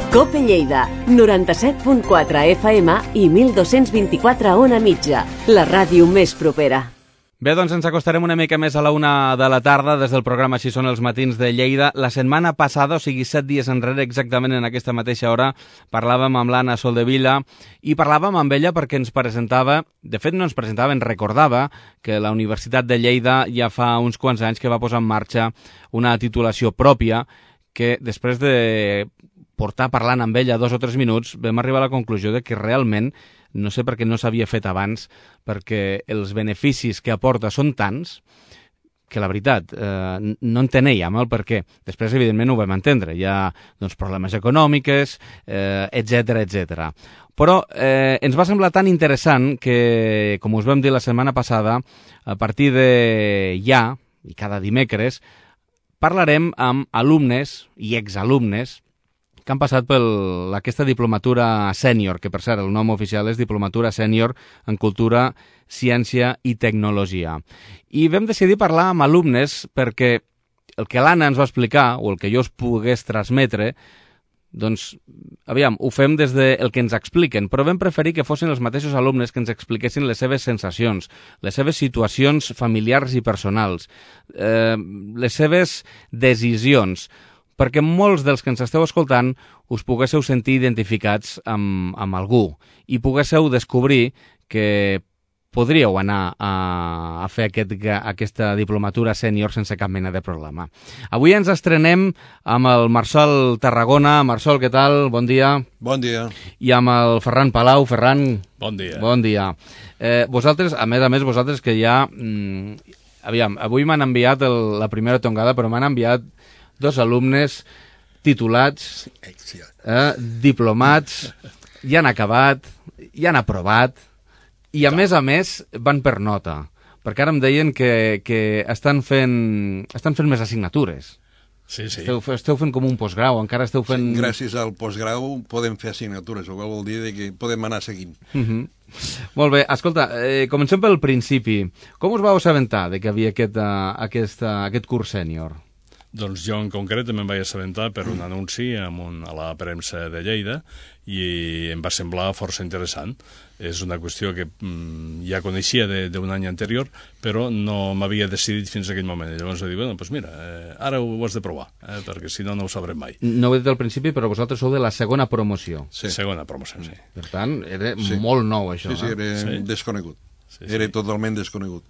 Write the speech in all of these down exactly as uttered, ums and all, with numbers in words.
Cope Lleida, noranta-set punt quatre F M i mil dos-cents vint-i-quatre ona mitja, la ràdio més propera. Bé, doncs ens acostarem una mica més a la una de la tarda des del programa Així són els matins de Lleida. La setmana passada, o sigui, set dies enrere, exactament en aquesta mateixa hora, parlàvem amb l'Anna Soldevila i parlàvem amb ella perquè ens presentava, de fet no ens presentava, ens recordava que la Universitat de Lleida ja fa uns quants anys que va posar en marxa una titulació pròpia que després de portar parlant amb ella dos o tres minuts vam arribar a la conclusió de que realment no sé per què no s'havia fet abans, perquè els beneficis que aporta són tants que la veritat eh, no enteníem el per què. Després, evidentment, ho vam entendre. Hi ha doncs, problemes econòmics, eh, etcètera, etcètera. Però eh, ens va semblar tan interessant que, com us vam dir la setmana passada, a partir de ja, i cada dimecres, parlarem amb alumnes i exalumnes que han passat per aquesta diplomatura sènior, que per cert el nom oficial és Diplomatura Sènior en Cultura, Ciència i Tecnologia. I vam decidir parlar amb alumnes perquè el que l'Anna ens va explicar, o el que jo us pogués transmetre, doncs, aviam, ho fem des del que ens expliquen, però vam preferir que fossin els mateixos alumnes que ens expliquessin les seves sensacions, les seves situacions familiars i personals, eh, les seves decisions, perquè molts dels que ens esteu escoltant us poguésseu sentir identificats amb, amb algú i poguésseu descobrir que podríeu anar a, a fer aquest, aquesta diplomatura sènior sense cap mena de problema. Avui ens estrenem amb el Marçol Tarragona. Marçol, què tal? Bon dia. Bon dia. I amb el Ferran Palau. Ferran. Bon dia. Bon dia. Eh, vosaltres, a més a més, vosaltres que ja... Mm, aviam, avui m'han enviat el, la primera tongada, però m'han enviat dos alumnes titulats, eh, diplomats, ja han acabat, ja han aprovat, i a més a més van per nota, perquè ara em deien que, que estan fent, estan fent més assignatures. Sí, sí. Esteu, esteu fent com un postgrau, encara esteu fent... Sí, gràcies al postgrau podem fer assignatures, el qual vol dir que podem anar seguint. Uh -huh. Molt bé, escolta, eh, comencem pel principi. Com us vau assabentar de que havia aquest, uh, aquest, uh, aquest curs sènior? Doncs jo en concret em vaig assabentar per un anunci amb un, a la premsa de Lleida i em va semblar força interessant. És una qüestió que mm, ja coneixia d'un any anterior, però no m'havia decidit fins a aquell moment. I llavors vaig dir, bueno, doncs mira, eh, ara ho has de provar, eh, perquè si no, no ho sabrem mai. No ho he dit al principi, però vosaltres sou de la segona promoció. Sí. Segona promoció, sí. Per tant, era sí. molt nou, això. Sí, sí, era eh? sí. desconegut. Sí, sí. Era totalment desconegut.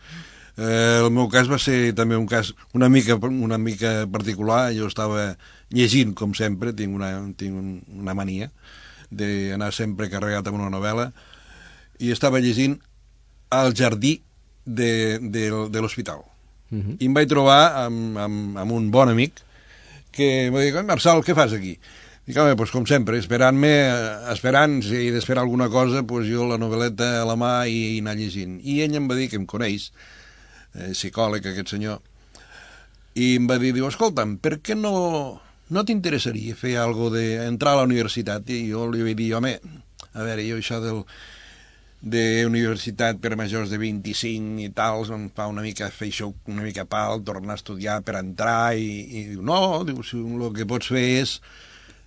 Eh, el meu cas va ser també un cas una mica, una mica particular. Jo estava llegint, com sempre, tinc una, tinc una mania d'anar sempre carregat amb una novel·la, i estava llegint al jardí de, de, de l'hospital. Uh-huh. I em vaig trobar amb, amb, amb un bon amic que em va dir, Marçal, què fas aquí? Dic, home, doncs com sempre, esperant-me, esperant, si he d'esperar alguna cosa, doncs jo la novel·leta a la mà i, i anar llegint. I ell em va dir que em coneix, eh, psicòleg, aquest senyor, i em va dir, diu, escolta'm, per què no, no t'interessaria fer alguna cosa d'entrar a la universitat? I jo li vaig dir, home, a veure, jo això del, de universitat per majors de vint-i-cinc i tal, em fa una mica fer això, una mica pal, tornar a estudiar per entrar, i, i diu, no, diu, si el que pots fer és,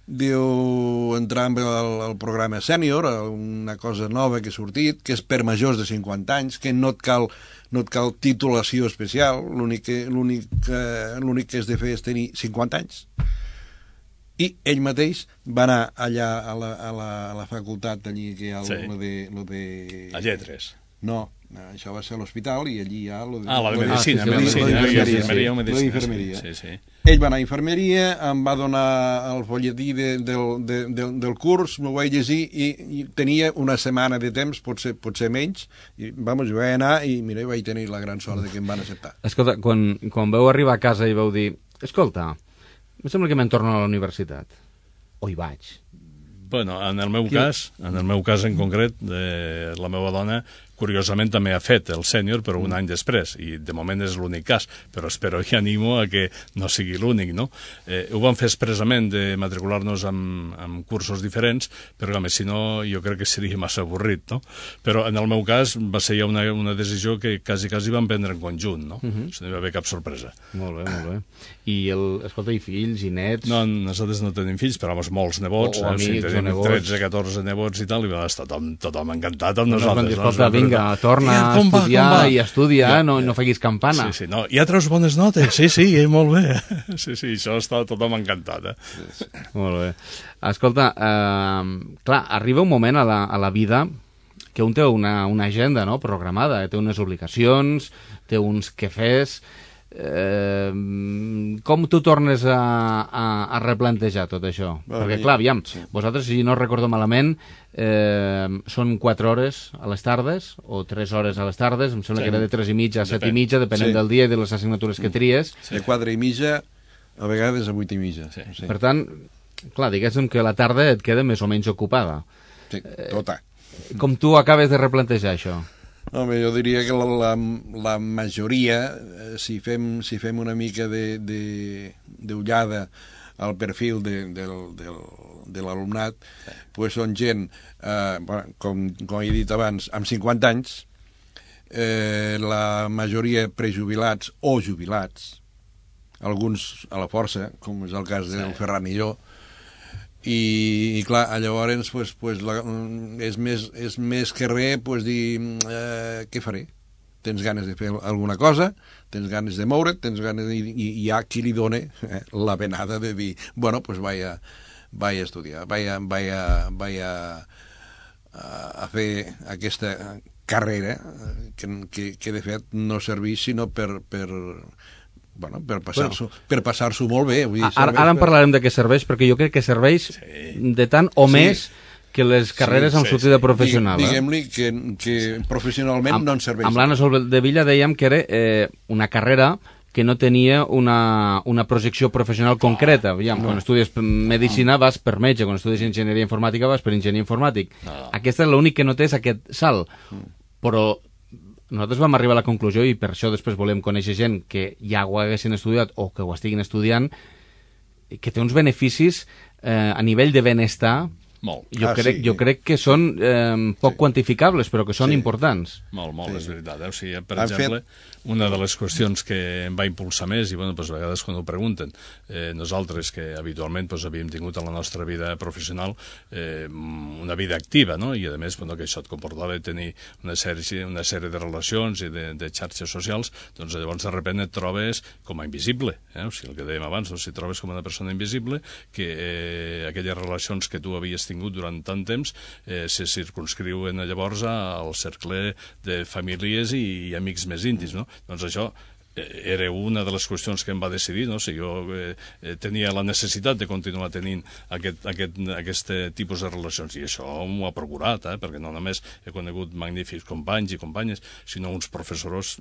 diu, entrar al, al programa sènior, una cosa nova que ha sortit, que és per majors de cinquanta anys, que no et cal, no et cal titulació especial, l'únic que, l'únic, eh, l'únic que has de fer és tenir cinquanta anys. I ell mateix va anar allà a la, a la, a la facultat, allí que hi ha sí. lo de, lo de... A Lletres. No, això va ser a l'hospital i allí hi ha... Lo de, ah, la de lo medicina, de, medicina, lo de, infermeria, medicina, infermeria. Sí, sí. Ell va anar a infermeria, em va donar el folletí de, del, de, del, del curs, m'ho vaig llegir i, i tenia una setmana de temps, potser, potser menys, i vamos, jo vaig anar i mira, vaig tenir la gran sort de que em van acceptar. Escolta, quan, quan vau arribar a casa i vau dir, escolta, em sembla que me'n torno a la universitat. O hi vaig. Bueno, en el meu Qui... cas, en el meu cas en concret, de la meva dona, curiosament també ha fet el sènior, però un any després, i de moment és l'únic cas, però espero i animo a que no sigui l'únic, no? Eh, ho vam fer expressament de matricular-nos amb, amb cursos diferents, però home, si no jo crec que seria massa avorrit, no? Però en el meu cas va ser ja una, una decisió que quasi, quasi vam prendre en conjunt, no? Uh-huh. No hi va haver cap sorpresa. Molt bé, molt bé. I, el, escolta, i fills, i nets? No, nosaltres no tenim fills, però home, molts nebots, o, o eh? amics, o sigui, tenim o nebots. tretze, catorze nebots i tal, i va estar tothom, tothom encantat amb no, nosaltres. No, escolta, no? Vinga, torna a estudiar va, i estudia, ja, no, no facis campana. Sí, sí, no, ja treus bones notes, sí, sí, eh, molt bé. Sí, sí, això està tothom encantat, eh? Sí, sí. Molt bé. Escolta, eh, clar, arriba un moment a la, a la vida que un té una, una agenda, no?, programada, té unes obligacions, té uns quefers. Eh, com tu tornes a, a, a replantejar tot això? Bueno, perquè clar, aviam, sí. Vosaltres, si no recordo malament, eh, són quatre hores a les tardes o tres hores a les tardes, em sembla sí. que era de tres i mitja a set i mitja, depenent sí. del dia i de les assignatures que tries. Sí. De quatre i mitja a vegades a vuit i mitja. Sí. Sí. Per tant, clar, diguéssim que la tarda et queda més o menys ocupada. Sí, tota. Eh, com tu acabes de replantejar això? Home, jo diria que la, la, la majoria, si fem, si fem una mica d'ullada al perfil de, del, del, de l'alumnat, pues són gent, eh, com, com he dit abans, amb cinquanta anys, eh, la majoria prejubilats o jubilats, alguns a la força, com és el cas del sí. Ferran i jo, i, i clar, llavors pues, pues, la, és, més, és més que res pues, dir eh, què faré? Tens ganes de fer alguna cosa, tens ganes de moure't, tens ganes de, i, i hi ha qui li dona eh, la venada de dir, bueno, pues vaya, vaya a estudiar, vaya, vaya, vaya a, a fer aquesta carrera que, que, que de fet no serveix sinó per... per Bueno, per passar-s'ho bueno. per passar-s'ho molt bé. Vull dir, ara, ara en parlarem de què serveix, perquè jo crec que serveix sí. de tant o sí. més que les carreres sí, amb sí, sortida sí. professional. Diguem-li que, que professionalment amb, no en serveix. Amb l'Anna Soldevilla dèiem que era eh, una carrera que no tenia una, una projecció professional concreta. Aviam, no. Quan estudies medicina vas per metge, quan estudies enginyeria informàtica vas per enginyer informàtic. No. Aquesta és l'únic que no té és aquest salt. Però nosaltres vam arribar a la conclusió, i per això després volem conèixer gent que ja ho haguessin estudiat o que ho estiguin estudiant, que té uns beneficis eh, a nivell de benestar. Molt. Jo, ah, crec, sí. jo crec que són eh, poc sí. quantificables, però que són sí. importants. Molt, molt, sí. és veritat. Eh? O sigui, per Han exemple, fet... una de les qüestions que em va impulsar més, i bueno, pues, a vegades quan ho pregunten, eh, nosaltres que habitualment pues, havíem tingut a la nostra vida professional eh, una vida activa, no? I a més bueno, que això et comportava tenir una sèrie, una sèrie de relacions i de, de xarxes socials, doncs llavors de sobte et trobes com a invisible. Eh? O sigui, el que dèiem abans, no? Si trobes com una persona invisible, que eh, aquelles relacions que tu havies tingut durant tant temps eh, se circunscriuen llavors al cercle de famílies i, i amics més íntims, no? Doncs això era una de les qüestions que em va decidir, no? Si jo eh, tenia la necessitat de continuar tenint aquest, aquest, aquest tipus de relacions, i això m'ho ha procurat, eh? Perquè no només he conegut magnífics companys i companyes, sinó uns professors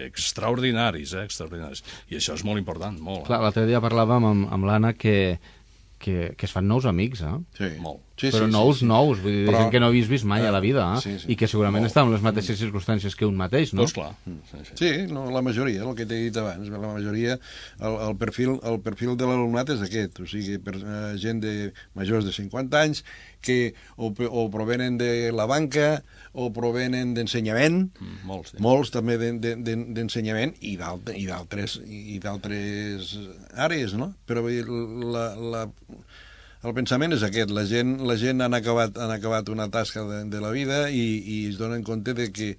extraordinaris, eh? extraordinaris, i això és molt important, molt. Clar, l'altre dia parlàvem amb, amb l'Anna que Que, que es fan nous amics, eh? Sí. Molt. Sí, però sí, nous, sí, sí. nous, vull dir, però... gent que no havies vist mai a la vida, eh? Sí, sí. I que segurament Molt. està en les mateixes circumstàncies que un mateix, no? Doncs clar. Sí, sí. sí no, la majoria, el que t'he dit abans, la majoria, el, el, perfil, el perfil de l'alumnat és aquest, o sigui, per, uh, gent de majors de cinquanta anys que o, o provenen de la banca o provenen d'ensenyament, mm, molts, sí. molts també d'ensenyament i d'altres i d'altres àrees, no? Però vull dir, la... la el pensament és aquest, la gent, la gent han, acabat, han acabat una tasca de, de la vida i, i es donen compte de que,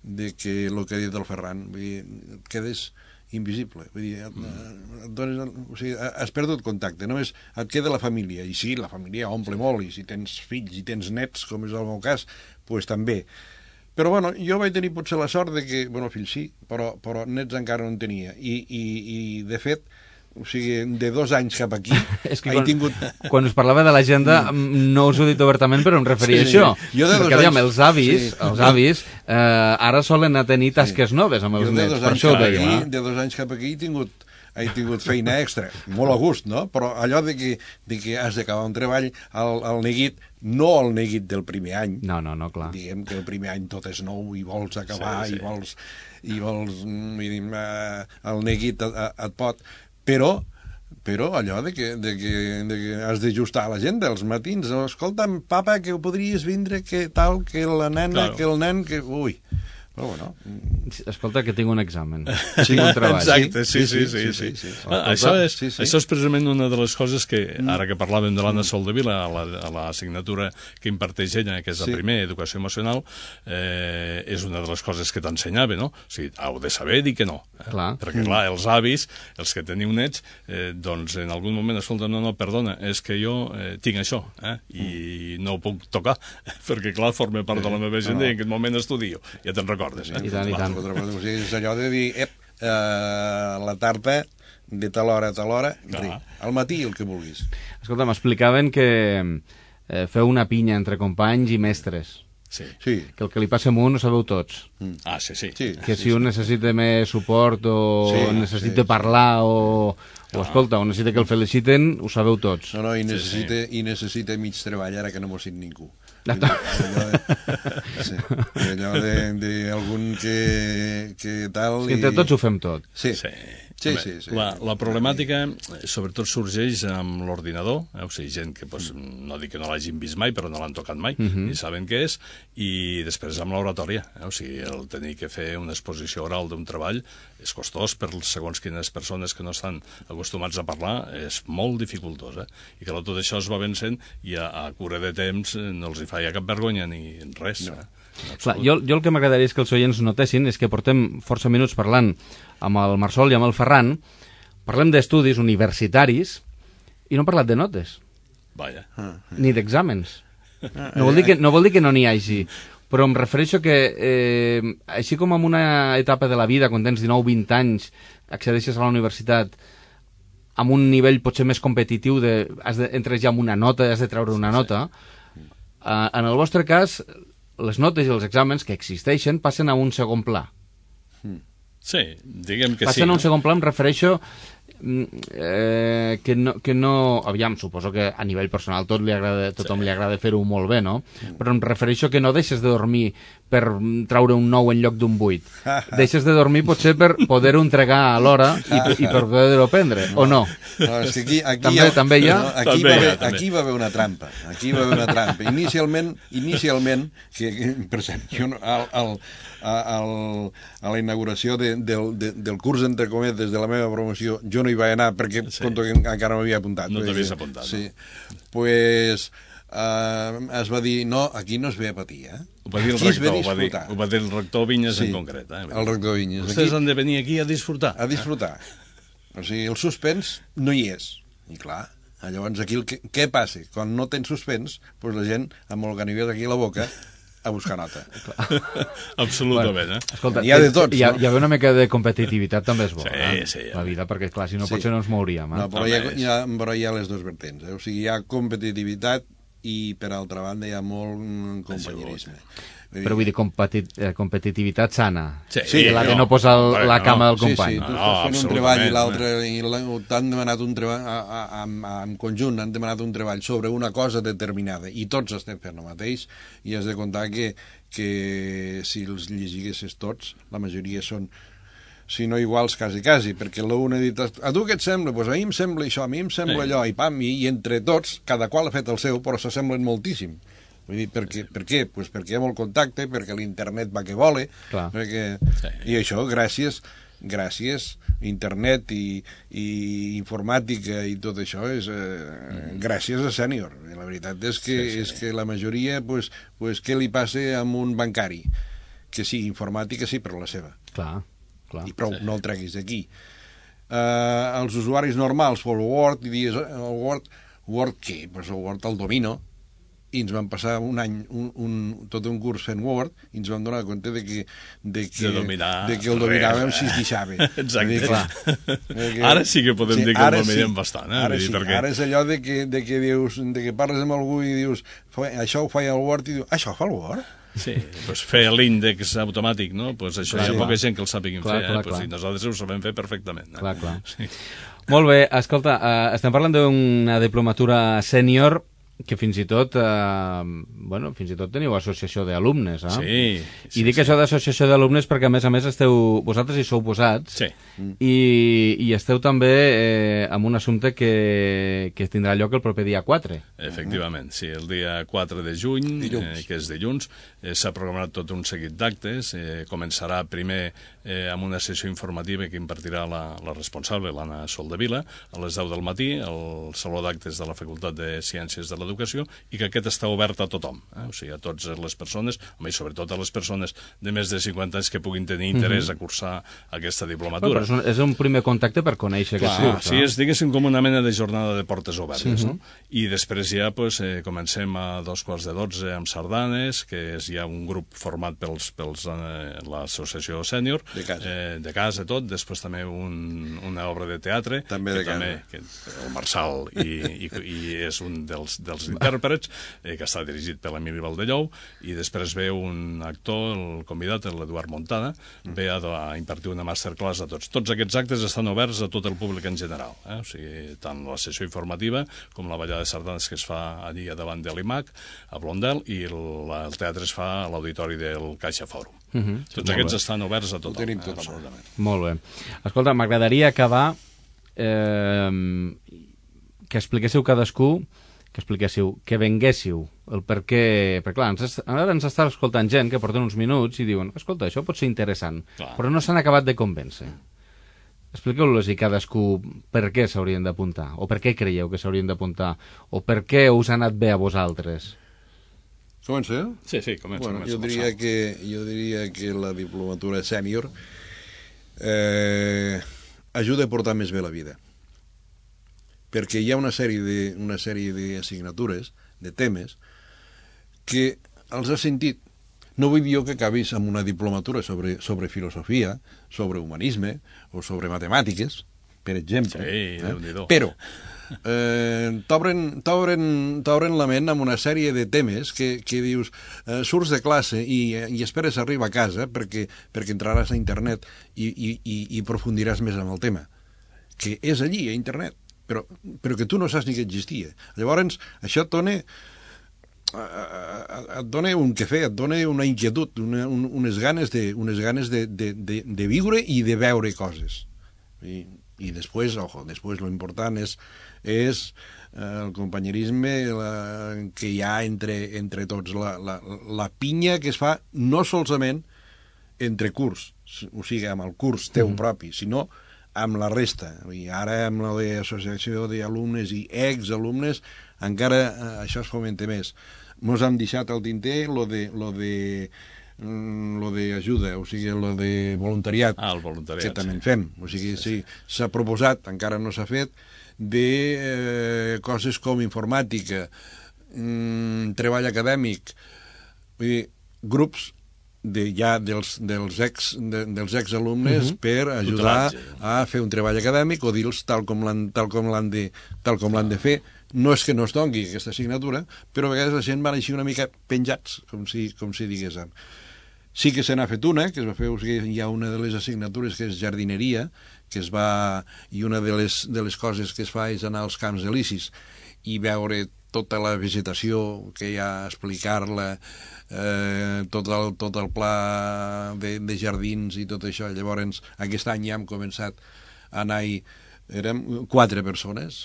de que el que ha dit el Ferran, vull dir, et quedes invisible, vull dir, et, et dones, o sigui, has perdut contacte, només et queda la família, i sí, la família omple molt, i si tens fills i tens nets, com és el meu cas, doncs també. Però, bueno, jo vaig tenir potser la sort de que, bueno, fills sí, però, però nets encara no en tenia, i, i, i de fet, o sigui, de dos anys cap aquí és que he quan, tingut... quan us parlava de l'agenda no us ho he dit obertament, però em referia sí, a això. Jo de dos perquè, anys... aviam, els avis, sí. els avis eh, ara solen a tenir tasques sí. noves amb els nets, per això ho deia. Aquí, de dos anys cap aquí he tingut he tingut feina extra, molt a gust, no? Però allò de que, de que has d'acabar un treball al, al neguit, no el neguit del primer any. No, no, no, clar. Diguem que el primer any tot és nou i vols acabar sí, sí. i vols, i vols vull dir, eh, el neguit et, et pot, però però allò de que, de que, de que has d'ajustar la gent dels matins, escolta'm, papa, que ho podries vindre, que tal, que la nena, claro. que el nen, que... Ui, però bueno... Escolta, que tinc un examen. Sí, un treball. Exacte, sí, sí, sí. sí, sí, sí, sí. Ah, això, és, sí, sí. això és precisament una de les coses que, ara que parlàvem de l'Anna Soldevila, a la, a l'assignatura que imparteix ella, que és la sí. primera, Educació Emocional, eh, és una de les coses que t'ensenyava, no? O sigui, heu de saber dir que no. Eh? Clar. Perquè, clar, els avis, els que teniu nets, eh, doncs en algun moment, escolta, no, no, perdona, és que jo eh, tinc això, eh? I no ho puc tocar, perquè, clar, forma part de la meva agenda i en aquest moment estudio. Ja te'n recordo. Eh? I tant, i tant. O sigui, és allò de dir, ep, eh, la tarta de tal hora a tal hora, ah. al matí el que vulguis. Escolta, m'explicaven que eh, feu una pinya entre companys i mestres. Sí. sí. Que el que li passa a un ho sabeu tots. Mm. Ah, sí, sí. sí que sí, si un sí. necessita més suport o sí, necessita sí, parlar sí. o, o ah. escolta, o necessita que el feliciten, ho sabeu tots. No, no, i necessita, sí, sí. i necessita mig treball ara que no m'ho sent ningú. No. Allò de, sí, allò d'algun que, que tal... És que entre tots ho fem tot. Sí, sí. Sí, sí, sí. La, la problemàtica, sobretot, sorgeix amb l'ordinador, eh? O sigui, gent que, pues, no dic que no l'hagin vist mai, però no l'han tocat mai, uh -huh. ni saben què és, i després amb l'oratòria, eh? O sigui, el tenir que fer una exposició oral d'un treball és costós per segons quines persones que no estan acostumats a parlar, és molt dificultós, eh? I que tot això es va vencent i a, a cura de temps no els hi feia cap vergonya ni res, no. eh? Clar, jo, jo el que m'agradaria és que els oients notessin és que portem força minuts parlant amb el Marsol i amb el Ferran, parlem d'estudis universitaris i no hem parlat de notes. Vaja. Ni d'exàmens. No vol dir que no, vol dir que no n'hi hagi, però em refereixo que, eh, així com en una etapa de la vida, quan tens dinou vint anys, accedeixes a la universitat amb un nivell potser més competitiu, de, has de, entres ja amb una nota, has de treure una nota, eh, en el vostre cas... les notes i els exàmens que existeixen passen a un segon pla. Sí, diguem que passen sí. Passen a un no? segon pla, em refereixo eh, que, no, que no... Aviam, suposo que a nivell personal tot li agrada, tothom sí. li agrada fer-ho molt bé, no? Però em refereixo que no deixes de dormir per traure un nou en lloc d'un vuit. Deixes de dormir potser per poder-ho entregar a l'hora i, i per poder-ho prendre, o no? No, és que aquí, aquí també, ha, també hi ha? No, aquí, també va hi ha, haver, també. aquí va haver una trampa. Aquí va haver una trampa. Inicialment, inicialment que, que, per exemple, jo, al, al, al, a la inauguració de, del, de, del curs, entre cometes, de la meva promoció, jo no hi vaig anar perquè sí. conto que encara m'havia apuntat. No t'havies apuntat, sí. no? Pues, uh, es va dir, no, aquí no es ve a patir, eh? Ho va dir el rector, ho va dir, ho va dir el rector Vinyes sí, en concret. Eh? El rector Vinyes. Vostès aquí, han de venir aquí a disfrutar. A disfrutar. O sigui, el suspens no hi és. I clar, llavors aquí el que, què passa? Quan no tens suspens, doncs la gent amb el ganivet aquí a la boca a buscar nota. Absolutament, bueno, eh? Escolta, hi ha de tots, hi ha, no? hi ha una mica de competitivitat també és bo, sí, eh? Sí, la vida, perquè clar, si no sí. potser no ens mouríem. Eh? No, però, hi ha, hi ha, però hi ha les dues vertents. Eh? O sigui, hi ha competitivitat i, per altra banda, hi ha molt companyerisme. Però vull dir, competit, eh, competitivitat sana. Sí, sí, la de no posar el, la cama no, del company. Sí, sí, tu estàs fent un treball i l'altre, i t'han demanat un treball, a, a, a, en conjunt han demanat un treball sobre una cosa determinada, i tots estem fent el mateix, i has de comptar que, que si els llegiguessis tots, la majoria són, si no iguals, quasi, quasi, perquè l'un ha dit, a tu què et sembla? Doncs pues a mi em sembla això, a mi em sembla sí. allò, i pam, i, i entre tots, cada qual ha fet el seu, però s'assemblen moltíssim. Vull dir, per què? Per què? Pues perquè hi ha molt contacte, perquè l'internet va que vole, perquè... sí. I això, gràcies, gràcies, internet i, i informàtica i tot això, és eh, mm. gràcies a Sènior. La veritat és que, sí, sí. és que la majoria, pues, pues, què li passa amb un bancari? Que sí, informàtica sí, però la seva. Clar, clar. I prou, sí. no el treguis d'aquí. Uh, els usuaris normals, el Word, i dius, el Word, Word què? Pues el Word el domino, i ens vam passar un any, un, un, tot un curs fent Word, i ens vam donar compte de que, de que, de dominar, de que el dominàvem si es deixava. Exacte. Dir, clar, que, ara sí que podem sí, dir que el dominem sí, bastant. Eh? Ara, sí, perquè... ara és allò de que, de que dius, de que parles amb algú i dius, això ho feia el Word, i dius, això fa el Word? Sí, pues fer l'índex automàtic, no? Pues això Clar, hi ha clar. poca gent que el sàpiguin Clar, fer, clar, eh? Pues clar. i nosaltres ho sabem fer perfectament. Eh? Clar, clar. Sí. Molt bé, escolta, eh, estem parlant d'una diplomatura sènior que fins i tot, eh, bueno, fins i tot teniu associació d'alumnes, eh? Sí, sí, I dic sí. això d'associació d'alumnes perquè, a més a més, esteu, vosaltres hi sou posats Sí. i, i esteu també eh, amb un assumpte que, que tindrà lloc el proper dia quatre. Efectivament, sí, el dia quatre de juny, Dilluns. eh, que és dilluns, eh, s'ha programat tot un seguit d'actes. Eh, començarà primer eh, amb una sessió informativa que impartirà la, la responsable, l'Anna Soldevila, a les deu del matí, al Saló d'Actes de la Facultat de Ciències de l'Educació, i que aquest està obert a tothom, eh? O sigui, a totes les persones, home, i sobretot a les persones de més de cinquanta anys que puguin tenir interès a cursar aquesta Bueno, diplomatura. però és, un, és un primer contacte per conèixer aquest Clar, curs. sí, no? és, diguéssim, com una mena de jornada de portes obertes, no? I després ja pues, eh, comencem a dos quarts de dotze amb sardanes, que és ja un grup format pels, pels eh, l'associació sènior, De casa. eh, de casa tot, després també un, una obra de teatre, També que de casa. també, que el Marçal i, i, i és un dels, dels intèrprets, eh, que està dirigit per l'Emili Valdellou, i després ve un actor, el convidat, l'Eduard Montada, ve a, a impartir una masterclass a tots. Tots aquests actes estan oberts a tot el públic en general, eh? O sigui, tant la sessió informativa com la ballada de sardanes que es fa allí a davant de l'I M A C, a Blondel, i el, el teatre es fa a l'auditori del Caixa Fòrum. Uh -huh. Tots aquests estan oberts a tothom. Ho tenim eh, tot. absolutament. Molt bé. Escolta, m'agradaria acabar eh, que expliquéssiu cadascú, que expliquéssiu, que venguéssiu el per què... Perquè, clar, ens, est- ara ens està escoltant gent que porten uns minuts i diuen, escolta, això pot ser interessant, Clar. però no s'han acabat de convèncer. Expliqueu-los i cadascú per què s'haurien d'apuntar, o per què creieu que s'haurien d'apuntar, o per què us ha anat bé a vosaltres. Comença? Sí, sí, comença. Bueno, comença jo, diria Marçal. que, jo diria que la diplomatura sènior eh, ajuda a portar més bé la vida. Perquè hi ha una sèrie de, una sèrie d'assignatures, de temes, que els has sentit. No vull dir jo que acabis amb una diplomatura sobre, sobre filosofia, sobre humanisme o sobre matemàtiques, per exemple. Sí, Déu-n'hi-do. Però eh, t'obren t'obren- t'obren la ment amb una sèrie de temes que, que dius, eh, surts de classe i, i esperes arribar a casa perquè, perquè entraràs a internet i, i, i, i profundiràs més en el tema, que és allí, a internet, però, però que tu no saps ni que existia. Llavors, això et dona et dona un què fer, et dona una inquietud, una, un, unes ganes, de, unes ganes de, de, de, de viure i de veure coses. I, i després, ojo, després lo important és, és eh, el companyerisme la, que hi ha entre, entre tots, la, la, la pinya que es fa no solament entre curs, o sigui, amb el curs teu mm. propi, sinó amb la resta. I ara amb l'associació d'alumnes i exalumnes encara eh, això es fomenta més. Mos hem deixat al tinter lo de, lo de lo d'ajuda, o sigui, lo de voluntariat, Ah, el voluntariat, que també sí. en fem. O sigui, sí, s'ha proposat, encara no s'ha fet, de eh, coses com informàtica, mm, treball acadèmic, vull dir, grups de, ja dels, dels, ex, de, dels exalumnes uh-huh. per ajudar Tutelatge. a fer un treball acadèmic o dir-los tal com l'han tal com l'han de, tal com l'han de fer. No és que no es doni aquesta assignatura, però a vegades la gent va així una mica penjats, com si, com si diguéssim. Sí que se n'ha fet una, que es va fer, o sigui, hi ha una de les assignatures que és jardineria, que es va, i una de les, de les coses que es fa és anar als camps elisis i veure tota la vegetació que hi ha, explicar-la, eh, tot, el, tot el pla de, de jardins i tot això. Llavors, aquest any ja hem començat a anar-hi. Érem quatre persones,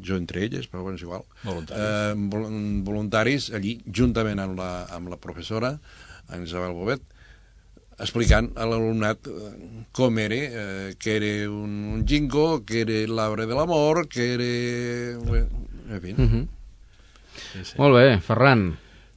jo entre elles, però bueno, és igual. Voluntaris. Eh, vol- voluntaris, allí, juntament amb la, amb la professora, en Isabel Bobet, explicant a l'alumnat eh, com era, eh, que era un, un jingo, que era l'arbre de l'amor, que era... Bé, en fi. Uh -huh. Sí, sí. Molt bé, Ferran.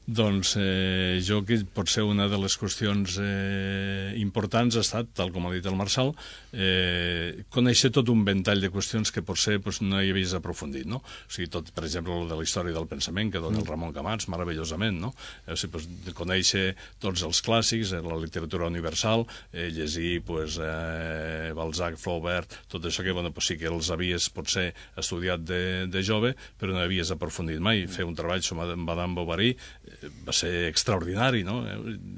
Doncs eh, jo que potser una de les qüestions eh, importants ha estat, tal com ha dit el Marçal, eh, conèixer tot un ventall de qüestions que potser pues, no hi havies aprofundit, no? O sigui, tot, per exemple, el de la història del pensament que dona el Ramon Camats, meravellosament, no? O sigui, pues, de conèixer tots els clàssics, eh, la literatura universal, eh, llegir pues, eh, Balzac, Flaubert, tot això que bueno, pues, sí que els havies potser estudiat de, de jove, però no havies aprofundit mai. Fer un treball sobre Madame Bovary, va ser extraordinari, no?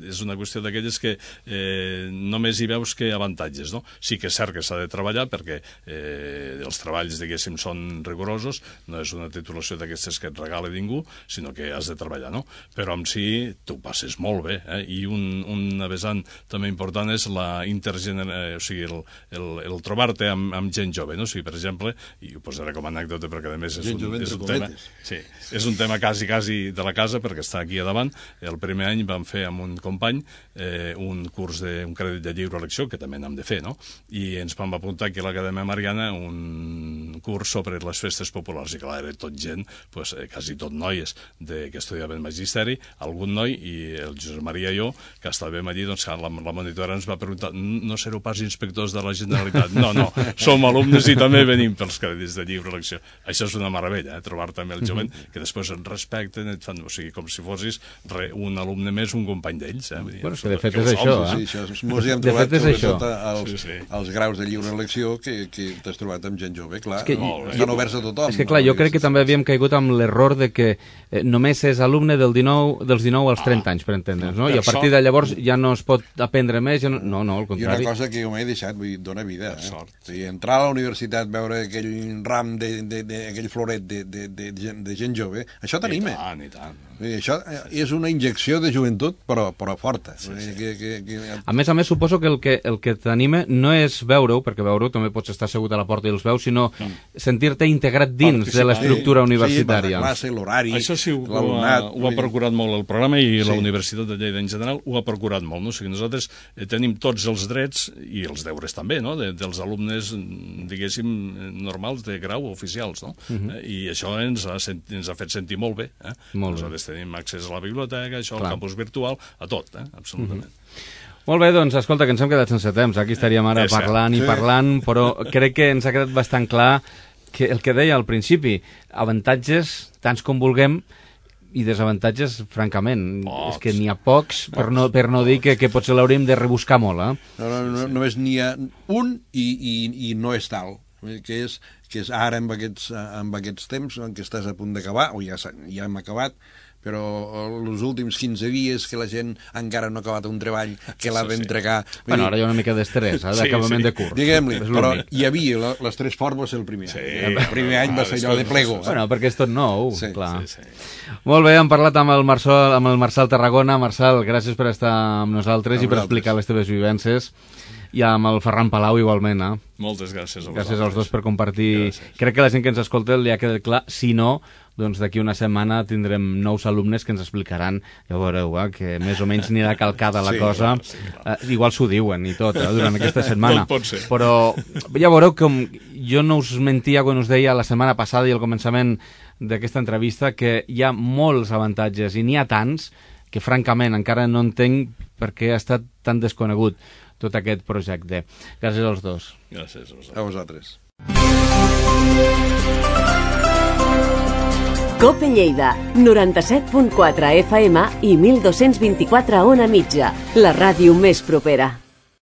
És una qüestió d'aquelles que eh, només hi veus que avantatges, no? Sí que és cert que s'ha de treballar perquè eh, els treballs, diguéssim, són rigorosos, no és una titulació d'aquestes que et regala ningú, sinó que has de treballar, no? Però en si tu passes molt bé, eh? I un, un vessant també important és la intergeneració, o sigui, el, el, el trobar-te amb, amb gent jove, no? O sigui, per exemple, i ho posaré com a anècdota perquè a més és un, és un tema, sí, és un tema quasi, quasi de la casa perquè està aquí a davant. El primer any vam fer amb un company eh, un curs de un crèdit de lliure elecció, que també n'hem de fer, no? I ens vam apuntar aquí a l'Acadèmia Mariana un curs sobre les festes populars, i clar, era tot gent, pues, eh, quasi tot noies de, que estudiaven magisteri, algun noi, i el Josep Maria i jo, que estàvem allí, doncs la, la monitora ens va preguntar, no sereu pas inspectors de la Generalitat? No, no, som alumnes i també venim pels crèdits de lliure elecció. Això és una meravella, eh? Trobar-te amb el jovent, mm-hmm. que després et respecten, et fan, o sigui, com si fossis re, un alumne més, un company d'ells. Eh? Bueno, que de fet és això, eh? Sí, això, mos hi hem trobat sobretot els, sí, sí. els graus de lliure elecció que, que t'has trobat amb gent jove, clar, que, no, estan oberts a tothom. És que clar, no? Jo crec que també havíem caigut amb l'error de que eh, només és alumne del dinou, dels dinou als trenta ah, anys, per entendre's, no? I a partir de llavors ja no es pot aprendre més, ja no, no, no, al contrari. I una cosa que jo m'he deixat, vull dir, dona vida, eh? O sigui, entrar a la universitat, veure aquell ram, de, de, de, aquell floret de, de, de, de, de gent jove, això t'anima. I tant, i tant. I això és una injecció de joventut, però, però forta. Sí, sí. Que, que, que... A més a més, suposo que el que, el que t'anima no és veure-ho, perquè veure-ho també pots estar assegut a la porta i els veus, sinó no. sentir-te integrat dins de l'estructura sí, universitària. Sí, la classe, l'horari, això sí, ho, ho, ha, ho ha procurat molt el programa i sí. la Universitat de Lleida en general ho ha procurat molt. No? O sigui, nosaltres eh, tenim tots els drets i els deures també, no? de, dels alumnes, diguéssim, normals de grau oficials. No? Uh-huh. eh, I això ens ha, ens ha fet sentir molt bé. Eh? Molt bé. Tenim accés a la biblioteca, això, al campus virtual, a tot, eh? absolutament. Mm-hmm. Molt bé, doncs, escolta, que ens hem quedat sense temps. Aquí estaríem ara és parlant sí. i parlant, però crec que ens ha quedat bastant clar que el que deia al principi, avantatges, tants com vulguem, i desavantatges, francament, pocs. És que n'hi ha pocs, pocs. Per, no, per no dir que, que potser l'hauríem de rebuscar molt. Eh? No, no, no, només n'hi ha un i, i, i no és tal, que és, que és ara amb aquests, amb aquests temps en què estàs a punt d'acabar, o ja, ja hem acabat, però els últims quinze dies que la gent encara no ha acabat un treball que l'ha d'entregar... Bueno, ara hi ha una mica d'estrès, eh, d'acabament sí, sí. de curs. Diguem-li, però hi havia la, les tres formes el primer sí. any. El primer any va ser allò de plego. Bueno, perquè és tot nou, sí. clar. Sí, sí. Molt bé, hem parlat amb el, Marçal, amb el Marçal Tarragona. Marçal, gràcies per estar amb nosaltres i per explicar les teves vivències. I amb el Ferran Palau igualment, eh? Moltes gràcies a vosaltres. Gràcies als dos per compartir. Gràcies. Crec que la gent que ens escolta li ha quedat clar. Si no, doncs d'aquí una setmana tindrem nous alumnes que ens explicaran, ja veureu, eh, que més o menys anirà calcada la sí, cosa. Clar, sí, clar. Eh, igual s'ho diuen i tot, eh, durant aquesta setmana. Tot pot ser. Però ja veureu que jo no us mentia quan us deia la setmana passada i al començament d'aquesta entrevista que hi ha molts avantatges i n'hi ha tants que francament encara no entenc per què ha estat tan desconegut tot aquest projecte. Gràcies als dos. Gràcies a vosaltres. A vosaltres. Cope Lleida, noranta-set punt quatre F M i mil dos-cents vint-i-quatre a Ona Mitja, la ràdio més propera.